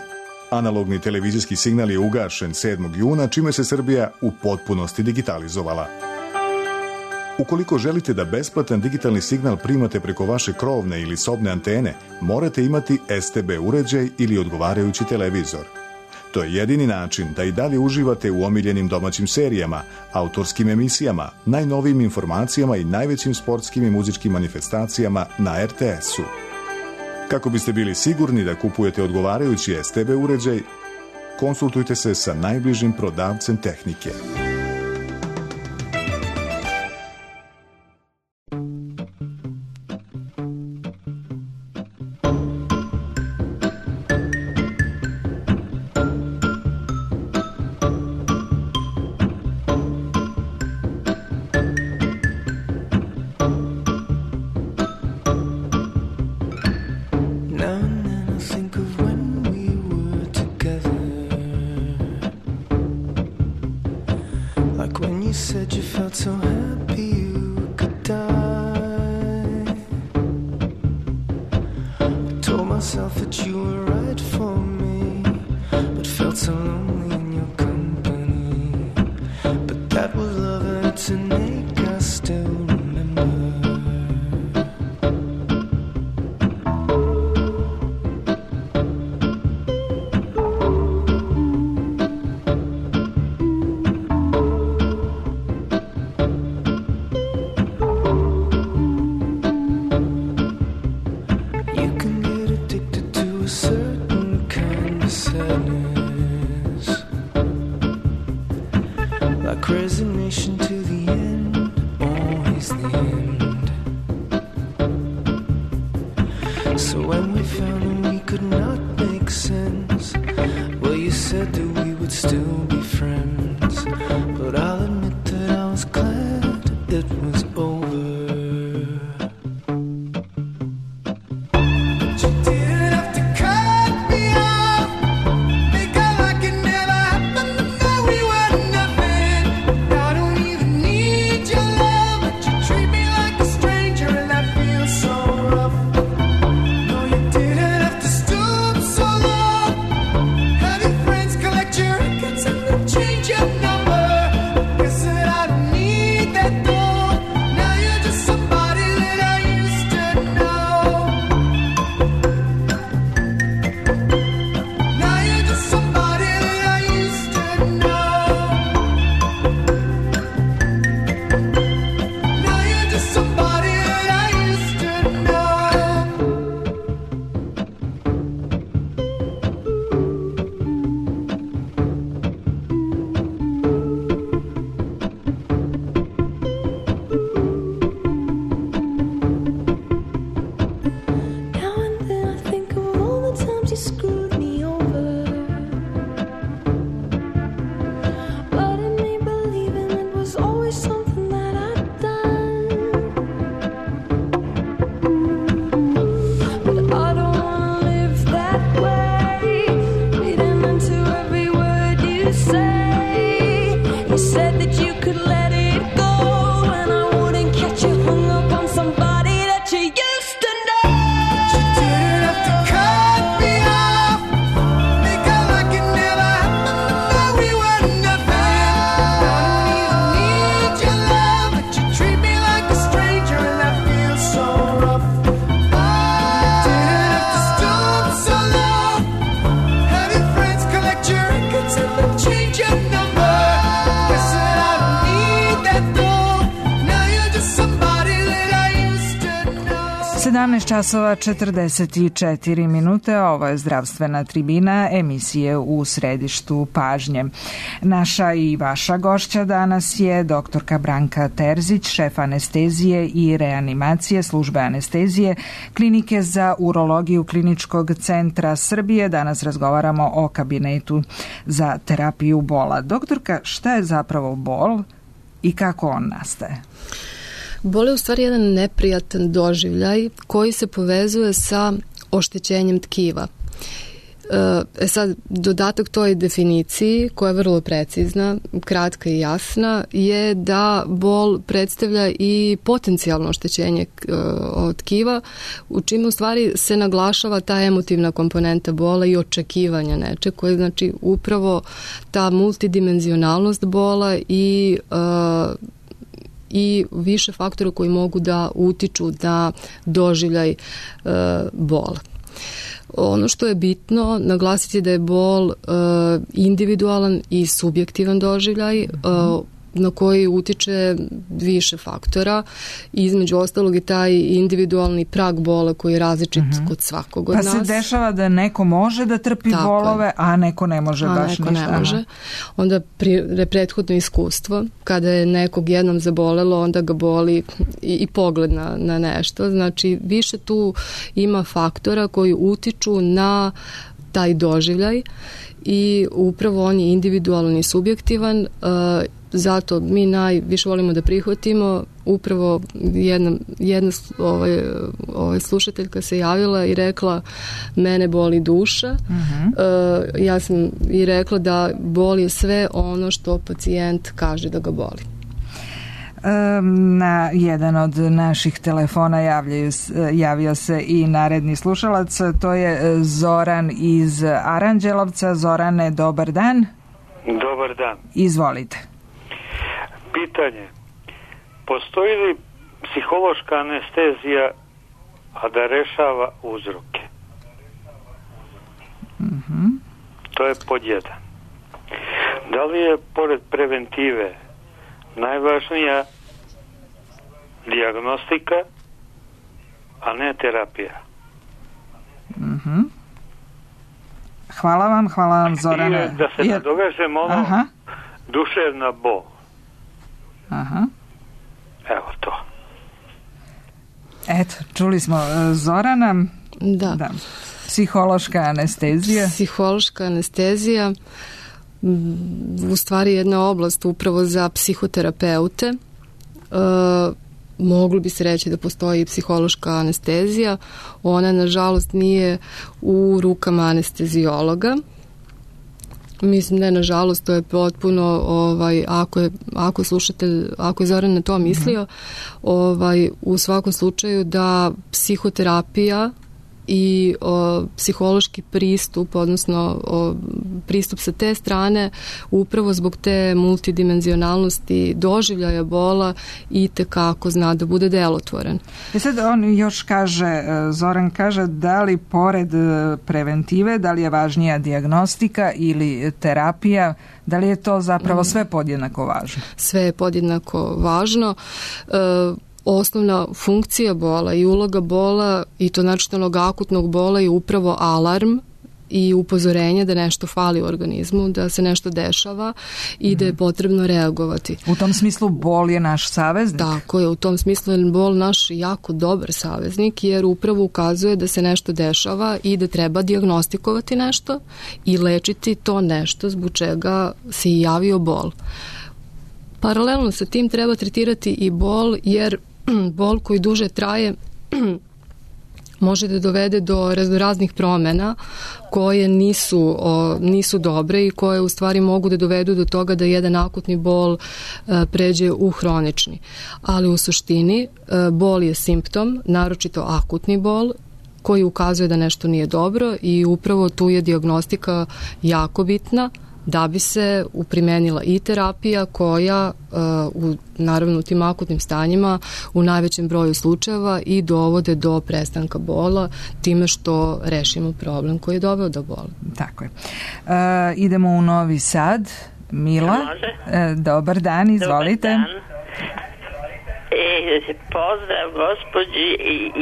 analogni televizijski signal je ugašen sedmog juna, čime se Srbija u potpunosti digitalizovala. Ukoliko želite da besplatan digitalni signal primate preko vaše krovne ili sobne antene, morate imati S T B uređaj ili odgovarajući televizor. To je jedini način da i dalje uživate u omiljenim domaćim serijama, autorskim emisijama, najnovijim informacijama i najvećim sportskim i muzičkim manifestacijama na R T S-u. Kako biste bili sigurni da kupujete odgovarajući S T B uređaj, konsultujte se sa najbližim prodavcem tehnike. Resignation to the end, always sedamnaest časova četrdeset četiri minute, ovo je zdravstvena tribina emisije U središtu pažnje. Naša i vaša gošća danas je doktorka Branka Terzić, šef anestezije i reanimacije službe anestezije Klinike za urologiju Kliničkog centra Srbije. Danas razgovaramo o kabinetu za terapiju bola. Doktorka, šta je zapravo bol i kako on nastaje? Bol je u stvari jedan neprijatan doživljaj koji se povezuje sa oštećenjem tkiva. E sad, dodatak toj definiciji, koja je vrlo precizna, kratka i jasna, je da bol predstavlja i potencijalno oštećenje od tkiva, u čime u stvari se naglašava ta emotivna komponenta bola i očekivanja neče, koje znači upravo ta multidimenzionalnost bola i uh, i više faktora koji mogu da utiču na doživljaj e, bola. Ono što je bitno naglasiti da je bol e, individualan i subjektivan doživljaj e, na koji utiče više faktora. Između ostalog i taj individualni prag bola koji je različit mm-hmm. kod svakog od pa nas. Pa se dešava da neko može da trpi Tako bolove, je. a neko ne može a baš neko ništa. Ne može. Onda pri, prethodno iskustvo, kada je nekog jednom zabolelo, onda ga boli i, i pogled na, na nešto. Znači, više tu ima faktora koji utiču na taj doživljaj i upravo on je individualan i subjektivan. Uh, zato mi najviše volimo da prihvatimo. Upravo jedna, jedna ovaj, ovaj slušateljka se javila i rekla mene boli duša. Uh-huh. uh, ja sam i rekla da bol je sve ono što pacijent kaže da ga boli. Na jedan od naših telefona javljaju, javio se i naredni slušalac, to je Zoran iz Aranđelovca. Zorane, dobar dan. Dobar dan. Izvolite. Pitanje, postoji li psihološka anestezija, a da rešava uzroke? Uh-huh. To je pod jedan. Da li je pored preventive najvažnija dijagnostika, a ne terapija? Uh-huh. Hvala vam, hvala vam, Zorane. I da se Jer... nadovežem ono Aha. duševna bol. Aha. Evo to. Eto, čuli smo Zorana. Da. da. Psihološka anestezija. Psihološka anestezija u stvari jedna oblast upravo za psihoterapeute. E, moglo bi se reći da postoji i psihološka anestezija. Ona, nažalost, nije u rukama anestezijologa. Mislim da je, nažalost, to je potpuno, ovaj, ako je, ako je slušatelj, ako je Zoran na to mislio, mm-hmm. ovaj, u svakom slučaju da psihoterapija i o, psihološki pristup, odnosno o, pristup sa te strane, upravo zbog te multidimenzionalnosti doživljaja bola i tekako zna da bude delotvoren. I sad on još kaže, Zoran kaže, da li pored preventive, da li je važnija dijagnostika ili terapija, da li je to zapravo sve podjednako važno? Sve je podjednako važno. E, Osnovna funkcija bola i uloga bola i to načinjenog akutnog bola je upravo alarm i upozorenje da nešto fali u organizmu, da se nešto dešava i mm-hmm. da je potrebno reagovati. U tom smislu bol je naš saveznik? Tako je, u tom smislu je bol naš jako dobar saveznik jer upravo ukazuje da se nešto dešava i da treba dijagnostikovati nešto i lečiti to nešto zbog čega se i javio bol. Paralelno sa tim treba tretirati i bol jer bol koji duže traje može da dovede do raznih promena koje nisu, o, nisu dobre i koje u stvari mogu da dovedu do toga da jedan akutni bol e, pređe u hronični. Ali u suštini e, bol je simptom, naročito akutni bol, koji ukazuje da nešto nije dobro i upravo tu je dijagnostika jako bitna da bi se uprimenila i terapija koja uh, u, naravno u tim akutnim stanjima u najvećem broju slučajeva i dovode do prestanka bola time što rešimo problem koji je doveo do bola. Tako je. Uh, idemo u Novi Sad. Mila, uh, dobar dan, izvolite. Dobar dan. E, pozdrav gospođi,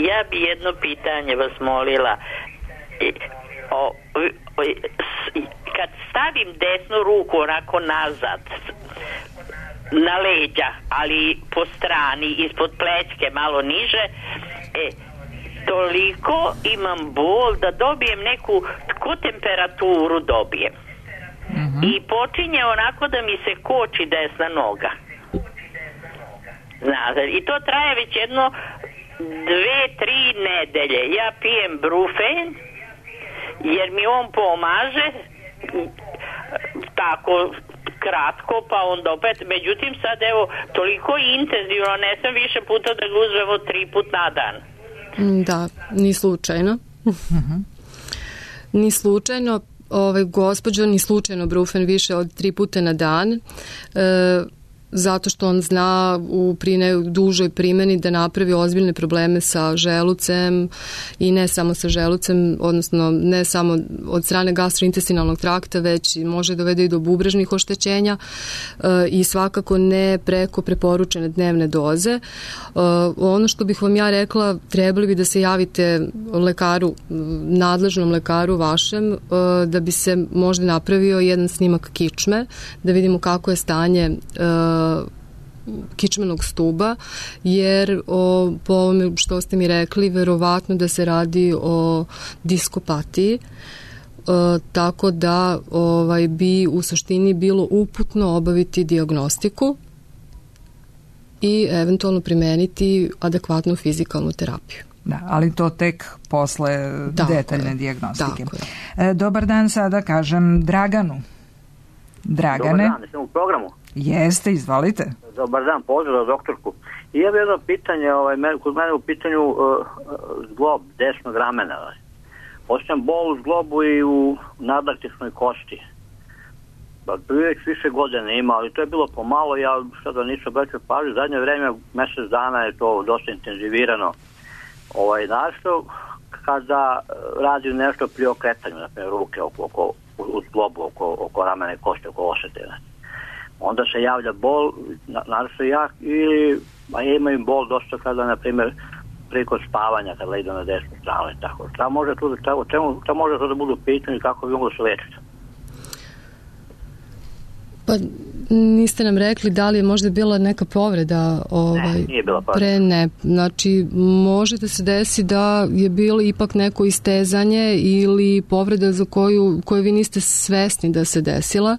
ja bi jedno pitanje vas molila. O, o, kad stavim desnu ruku onako nazad na leđa, ali po strani, ispod plećke, malo niže, e, toliko imam bol da dobijem neku, ko temperaturu dobijem. Mm-hmm. I počinje onako da mi se koči desna noga. Znate, i to traje već jedno dve, tri nedelje. Ja pijem Brufen, jer mi on pomaže tako kratko, pa onda opet, međutim sad evo toliko intenzivno, ne sam više puta da ga uzmemo tri put na dan. Da, ni slučajno. Uh-huh. Ni slučajno, ovaj, gospođo, ni slučajno Brufen više od tri puta na dan. E, zato što on zna u prine, dužoj primjeni da napravi ozbiljne probleme sa želucem i ne samo sa želucem, odnosno ne samo od strane gastrointestinalnog trakta, već može dovede i do bubrežnih oštećenja e, i svakako ne preko preporučene dnevne doze. E, ono što bih vam ja rekla, trebali bi da se javite lekaru, nadležnom lekaru vašem, e, da bi se možda napravio jedan snimak kičme, da vidimo kako je stanje e, kičmenog stuba, jer o, po ovome što ste mi rekli, verovatno da se radi o diskopatiji, e, tako da ovaj, bi u suštini bilo uputno obaviti dijagnostiku i eventualno primeniti adekvatnu fizikalnu terapiju. Da, ali to tek posle tako detaljne je, dijagnostike. E, dobar dan, sada kažem Draganu. Dragane. Dobar dan, sam u programu. Jeste, izvolite. Dobar dan, pozdrav doktorku. I ja bih jedno pitanje, ovaj, kod mene u pitanju uh, zglob desnog ramena. Osjećam bol u zglobu i u nadlaktičnoj kosti. Već više godine ima, ali to je bilo pomalo, ja sada nisam obraćao pažnju. Zadnje vreme, mjesec dana je to dosta intenzivirano. Ovaj, našto, kada radim nešto pri okretanju, na primjer ruke oko, oko, u zglobu, oko, oko ramene kosti, oko osjetine. Onda se javlja bol, naravno jak, ili a imaju bol dosta kada, na primjer, preko spavanja, kada idu na desnu stranu i tako. Šta može tu, šta, čemu, šta može to da budu pitanje i kako bi moglo se lečiti? Pa niste nam rekli da li je možda bila neka povreda ovaj, ne, nije bila povreda. Pre ne. Znači, može da se desi da je bilo ipak neko istezanje ili povreda za koju, koju vi niste svesni da se desila.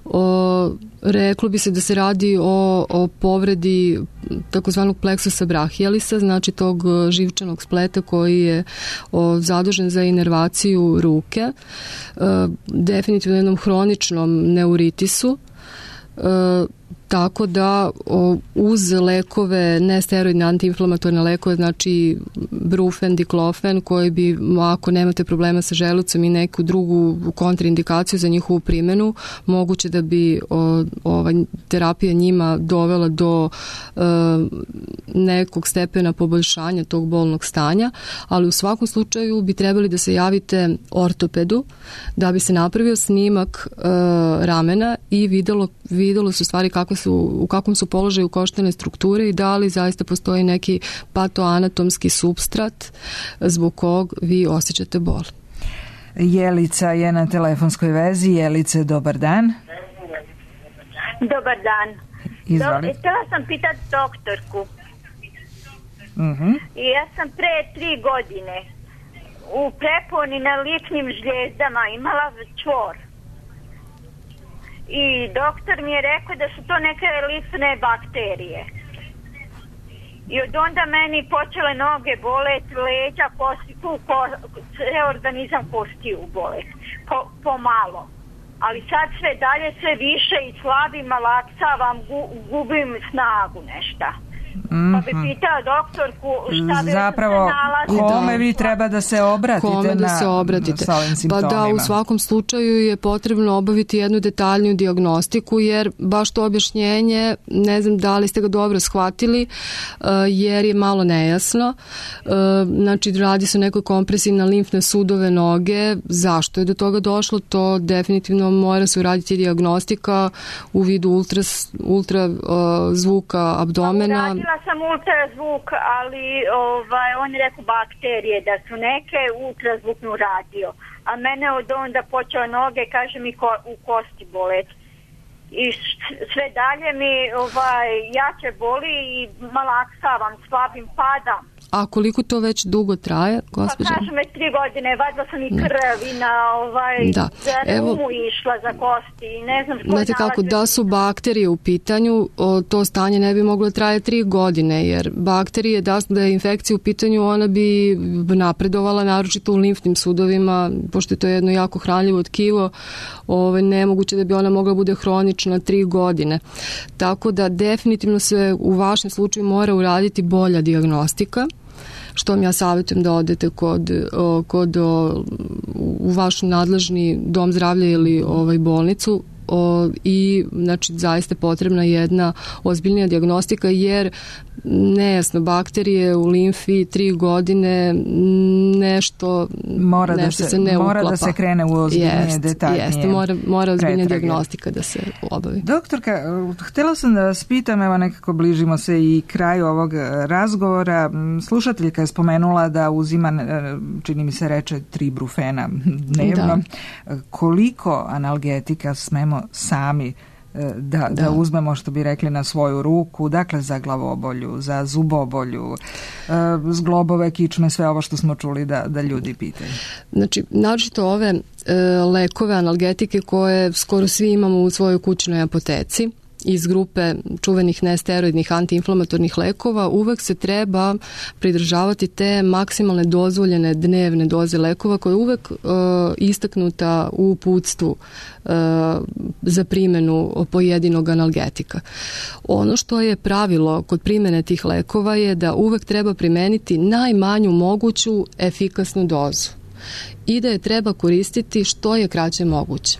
O, reklo bi se da se radi o, o povredi takozvanog pleksusa brachialisa, znači tog živčanog spleta koji je o, zadužen za inervaciju ruke. E, definitivno jednom hroničnom neuritisu. E, tako da o, uz lekove, nesteroidne antiinflamatorne lekove, znači Brufen, Diklofen, koji bi, ako nemate problema sa želucem i neku drugu kontraindikaciju za njihovu primjenu, moguće da bi o, ova terapija njima dovela do e, nekog stepena poboljšanja tog bolnog stanja, ali u svakom slučaju bi trebali da se javite ortopedu da bi se napravio snimak e, ramena i videlo, videlo su stvari kako su, u kakvom su položaju koštane strukture i da li zaista postoji neki patoanatomski supstrat zbog kog vi osjećate bol. Jelica je na telefonskoj vezi. Jelice, dobar dan. Dobar dan. Izvoli. Do, htjela sam pitati doktorku. Uh-huh. Ja sam pre tri godine u preponi na ličnim žljezdama imala čvor. I doktor mi je rekao da su to neke licne bakterije. I od onda meni počele noge bolet, leđa, kosti, ko, organizam kostiju bolet. Po, pomalo. Ali sad sve dalje, sve više i slabim, laksavam, gu, gubim snagu nešta. Mm-hmm. Pa bi pitao doktorku šta bi zapravo se nalazi. Kome vi treba da se obratite, kome da se obratite. Na, pa da, u svakom slučaju je potrebno obaviti jednu detaljniju dijagnostiku, jer baš to objašnjenje, ne znam da li ste ga dobro shvatili, jer je malo nejasno. Znači, radi se o nekoj kompresiji na limfne sudove noge. Zašto je do toga došlo? To definitivno mora se uraditi dijagnostika u vidu ultra, ultra zvuka abdomena. Radila sam ultrazvuk, ali ovaj, on je rekao bakterije da su neke, ultrazvuk mu radio. A mene od onda počeo noge, kaže mi ko, u kosti bolet. I sve dalje mi ovaj, jače boli i malaksavam, slabim, padam. A koliko to već dugo traje, gospođa? Pa kažem već tri godine, vadila sam i krv i na ovaj, da. za Evo, rumu išla za kosti i ne znam što znate kako, da su bakterije u pitanju, o, to stanje ne bi moglo traje tri godine, jer bakterije, da, da je infekcija u pitanju, ona bi napredovala, naročito u limfnim sudovima, pošto je to jedno jako hranljivo tkivo, ovaj, nemoguće da bi ona mogla bude hronična tri godine. Tako da definitivno se u vašem slučaju mora uraditi bolja dijagnostika, što vam ja savjetujem da odete kod, kod u vaš nadležni dom zdravlja ili ovaj bolnicu. O, i znači zaista potrebna jedna ozbiljnija dijagnostika, jer nejasno, bakterije u limfi tri godine nešto mora nešto da se, se ne mora uklapa. da se krene u ozbiljnije, jest, detaljnije jeste, mora, mora ozbiljnija pretrage. dijagnostika da se obavi. Doktorka, htjela sam da vas pitam, evo nekako bližimo se i kraju ovog razgovora. Slušateljka je spomenula da uzima, čini mi se reče, tri brufena dnevno. Da. Koliko analgetika smemo sami Da, da. da uzmemo, što bi rekli, na svoju ruku, dakle za glavobolju, za zubobolju, zglobove, kičme, sve ovo što smo čuli da, da ljudi pitaju. Znači, naročito ove e, lekove, analgetike koje skoro svi imamo u svojoj kućnoj apoteci, iz grupe čuvenih nesteroidnih antiinflamatornih lekova, uvek se treba pridržavati te maksimalne dozvoljene dnevne doze lekova koja je uvek e, istaknuta u uputstvu e, za primjenu pojedinog analgetika. Ono što je pravilo kod primjene tih lekova je da uvek treba primeniti najmanju moguću efikasnu dozu i da je treba koristiti što je kraće moguće.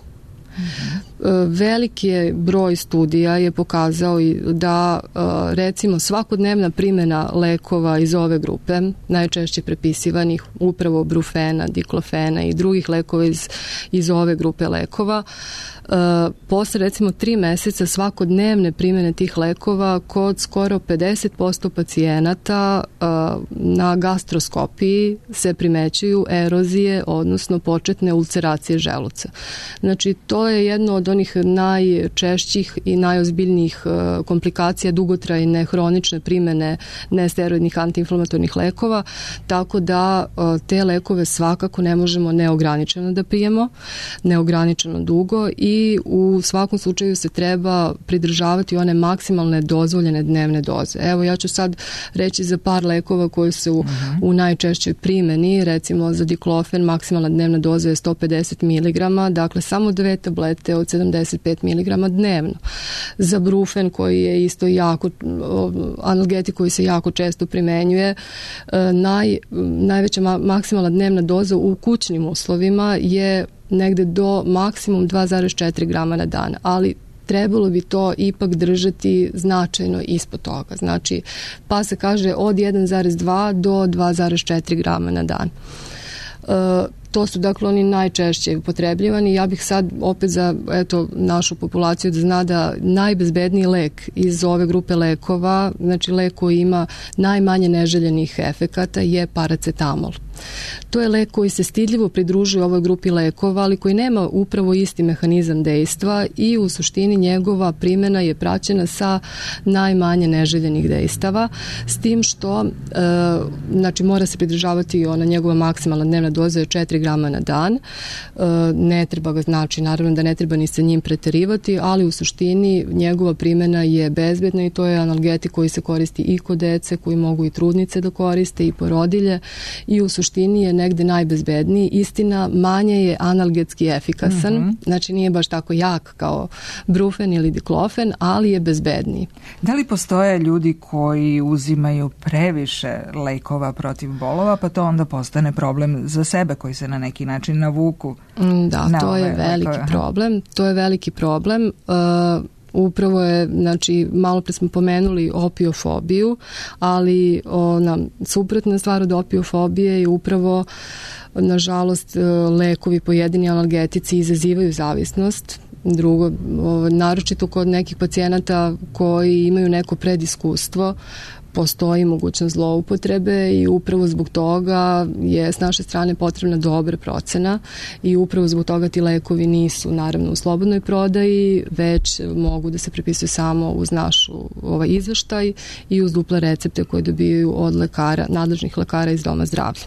Veliki je broj studija je pokazao da recimo svakodnevna primjena lekova iz ove grupe, najčešće prepisivanih upravo brufena, diklofena i drugih lekova iz, iz ove grupe lekova, posle recimo tri meseca svakodnevne primjene tih lekova kod skoro pedeset posto pacijenata na gastroskopiji se primećuju erozije, odnosno početne ulceracije želuca. Znači, to je jedno od onih najčešćih i najozbiljnijih komplikacija dugotrajne hronične primjene nesteroidnih antiinflamatornih lekova, tako da te lekove svakako ne možemo neograničeno da pijemo, neograničeno dugo, i u svakom slučaju se treba pridržavati one maksimalne dozvoljene dnevne doze. Evo, ja ću sad reći za par lekova koji su uh-huh. u najčešćoj primjeni. Recimo za diklofen maksimalna dnevna doza je sto pedeset miligrama, dakle samo dve tablete od sedamdeset pet miligrama dnevno. Za brufen, koji je isto jako analgetik koji se jako često primenjuje, naj, najveća ma, maksimalna dnevna doza u kućnim uslovima je negde do maksimum dva zarez četiri grama na dan, ali trebalo bi to ipak držati značajno ispod toga. Znači, pa se kaže od jedan zarez dva do dva zarez četiri grama na dan. E, to su dakle oni najčešće upotrebljivani. Ja bih sad opet za eto, našu populaciju da zna da najbezbedniji lek iz ove grupe lekova, znači lek koji ima najmanje neželjenih efekata, je paracetamol. To je lek koji se stidljivo pridružuje ovoj grupi lekova, ali koji nema upravo isti mehanizam dejstva i u suštini njegova primjena je praćena sa najmanje neželjenih dejstava, s tim što e, znači mora se pridržavati ona njegova maksimalna dnevna doza je četiri grama na dan. E, ne treba ga, znači naravno da ne treba ni sa njim preterivati, ali u suštini njegova primjena je bezbedna i to je analgetik koji se koristi i kod dece, koji mogu i trudnice da koriste i porodilje, i u suštini je negde najbezbedniji. Istina, manje je analgetski efikasan, mm-hmm. znači nije baš tako jak kao brufen ili diklofen, ali je bezbedniji. Da li postoje ljudi koji uzimaju previše lekova protiv bolova, pa to onda postane problem za sebe koji se na neki način navuku? Da, na to je veliki lekove. problem. To je veliki problem. Uh, Upravo je, znači, malo pre smo pomenuli opiofobiju, ali ona suprotna stvar od opiofobije je upravo, nažalost, lekovi, pojedini analgetici izazivaju zavisnost Drugo, naročito kod nekih pacijenata koji imaju neko prediskustvo, postoji mogućnost zloupotrebe i upravo zbog toga je s naše strane potrebna dobra procena i upravo zbog toga ti lekovi nisu naravno u slobodnoj prodaji, već mogu da se prepisuju samo uz našu ovaj izveštaj i uz duple recepte koje dobijaju od lekara, nadležnih lekara iz doma zdravlja.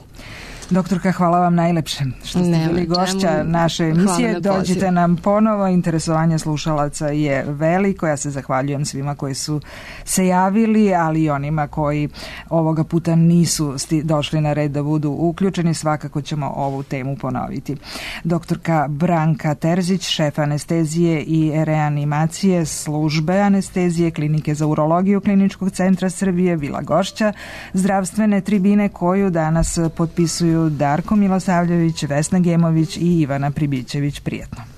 Doktorka, hvala vam najlepše što ste bili gošća naše emisije. Dođite nam ponovo, interesovanje slušalaca je veliko. Ja se zahvaljujem svima koji su se javili, ali i onima koji ovoga puta nisu došli na red da budu uključeni. Svakako ćemo ovu temu ponoviti. Doktorka Branka Terzić, šef anestezije i reanimacije službe anestezije Klinike za urologiju Kliničkog centra Srbije, bila gošća zdravstvene tribine koju danas potpisuju Darko Milosavljević, Vesna Gemović i Ivana Pribićević. Prijetno.